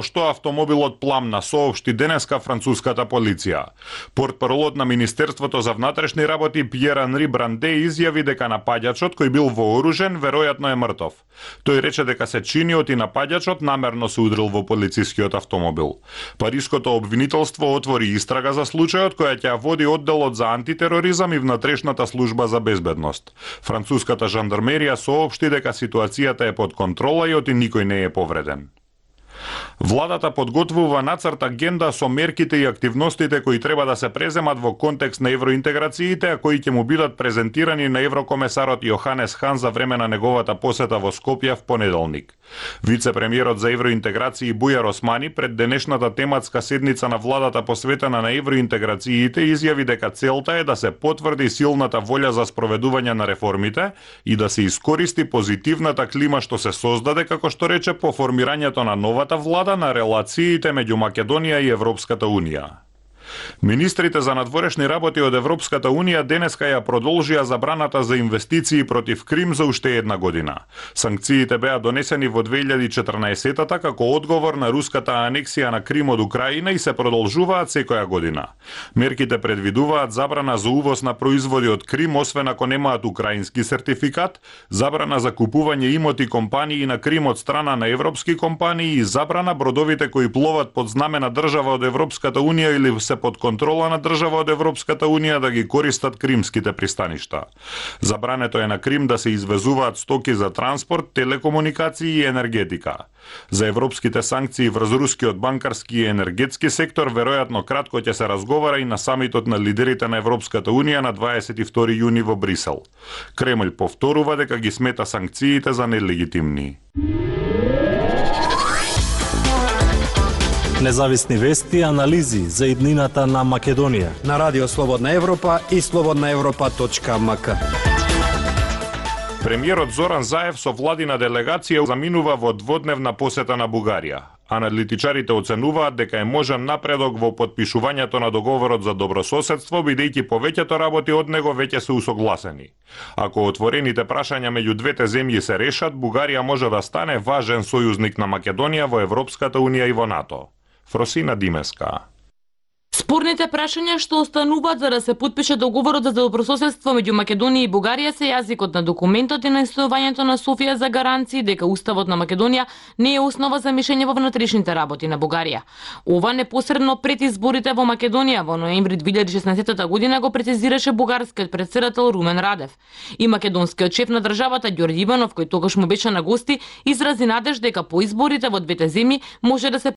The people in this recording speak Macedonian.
што автомобилот пламна, соопшти денеска француската полиција. Портпаролот на Министерството за внатрешни работи Пјер Анри Бранде изјави дека напаѓачот кој бил вооружен веројатно е мртов. Тој рече дека се чиниот и напаѓачот намерно се удрил во полицискиот автомобил. Париското обвинителство отвори истрага за случајот која ќе води одделот за антитероризам и внатрешната служба за безбедност. Француската жандармерија соопшти дека ситуацијата е под контрола и оти никој не е повреден. Владата подготвува нацрт агенда со мерките и активностите кои треба да се преземат во контекст на евроинтеграциите, а кои ќе му бидат презентирани на еврокомесарот Јоханес Хан за време на неговата посета во Скопје в понеделник. Вице-премиерот за евроинтеграции Бујар Османи пред денешната тематска седница на владата посветена на евроинтеграциите изјави дека целта е да се потврди силната волја за спроведување на реформите и да се искористи позитивната клима што се создаде, како што рече, по формирањето на новата влада на релациите меѓу Македонија и Европската Унија. Министрите за надворешни работи од Европската Унија денеска ја продолжија забраната за инвестиции против Крим за уште една година. Санкциите беа донесени во 2014-та како одговор на руската анексија на Крим од Украина и се продолжуваат секоја година. Мерките предвидуваат забрана за увоз на производи од Крим, освен ако немаат украински сертификат, забрана за купување имоти компании на Крим од страна на европски компании и забрана бродовите кои пловат под знаме на држава од Европската Унија или се под контрола на држава од Европската Унија да ги користат кримските пристаништа. Забрането е на Крим да се извезуваат стоки за транспорт, телекомуникации и енергетика. За европските санкции врз рускиот банкарски и енергетски сектор веројатно кратко ќе се разговара и на самитот на лидерите на Европската Унија на 22 јуни во Брисел. Кремљ повторува дека ги смета санкциите за нелегитимни. Независни вести и анализи за иднината на Македонија на Радио Слободна Европа и slobodnaevropa.mk. Премиерот Зоран Заев со владина делегација заминува во дводневна посета на Бугарија. Аналитичарите оценуваат дека е можен напредок во потпишувањето на договорот за добрососедство, бидејќи повеќето работи од него веќе се усогласени. Ако отворените прашања меѓу двете земји се решат, Бугарија може да стане важен сојузник на Македонија во Европската Унија и во НАТО. Фросина Димеска. Спорните прашања што остануваат за да се потпише договорот за добрососедство меѓу Македонија и Бугарија се јазикот на документот и настојувањето на Софија за гаранции дека Уставот на Македонија не е основа за мишење во внатрешните работи на Бугарија. Ова непосредно пред изборите во Македонија во ноември 2016 година го прецизираше бугарскиот претседател Румен Радев. И македонскиот шеф на државата Ѓорѓе Иванов, кој тогаш му беше на гости, изрази надеж дека по изборите во двете земји може да се